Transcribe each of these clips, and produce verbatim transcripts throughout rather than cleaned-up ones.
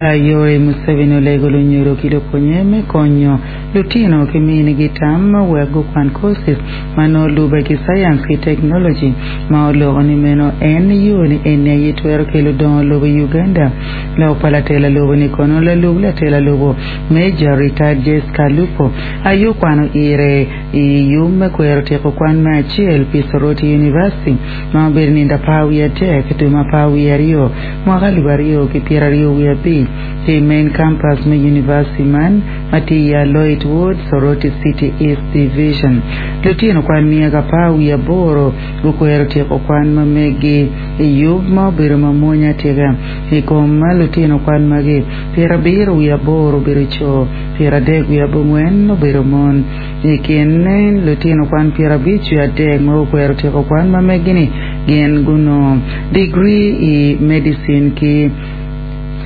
Yoweri Museveni olego lunyodo ki lupwonye me konyo lutino ki minigi tam wek gukwan courses ma nongo lube ki science ki technology ma oloko ni meno en yo ni eni aye twero kelo dongo lobo i Uganda. Lok pa latela lobo ni kono lalub latela lobo Major retired Jessica Alupo aye okwano ire i yub me kwero tyeko kwan me acel pi Soroti University ma obedo nindo apar wiye adek dwe ma apar wiye aryo mwaka alip aryo ki pyero aryo wiye abic ki main campus me university man ma tye i Aloit Ward, Soroti City East Division. Lutino kwan miya ki apar wiye aboro gukwero tyeko kwan ma megi i yub ma obedo mamwonya atika i kom ma lutino kwan magi pyero abiro wiye aboro obedo co pyero adek wiye abongwen obedo mon i kin lutino kwan pyero abic wiye adek ma gukwero tyeko kwan ma megi-ni gin gunongo degree i medicine ki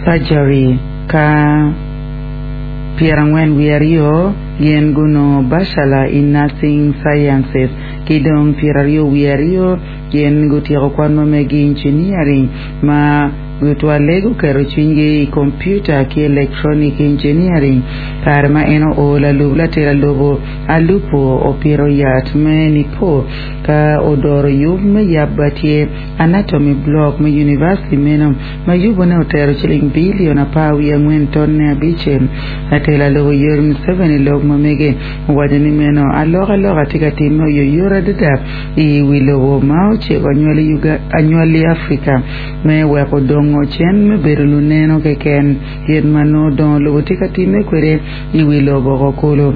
surgery ka pyero angwen wiye aryo gin gunongo bachelor in nursing sciences ki dong pyero aryo wiye aryo gin gutyeko kwan ma megi engineering ma tutwalle guketo cwinygi i computer ki electronic engineering kare ma en oo lalub latela lobo Alupo opito yat me nipo ka odoro yub me yab tye anatomy block me university meno ma yubone otero ciling bilion apar wiye angwen tonne abicel latela lobo Yoweri Museveni lok ma mege owaco ni meno alokaloka tye ka timme oyoyot adada i wi lobo ma ociko anywali Afrika me weko dongo cen me bedo luneno keken kit ma nongo dongo lobo tye ka timme kwede i wi lobo kulu.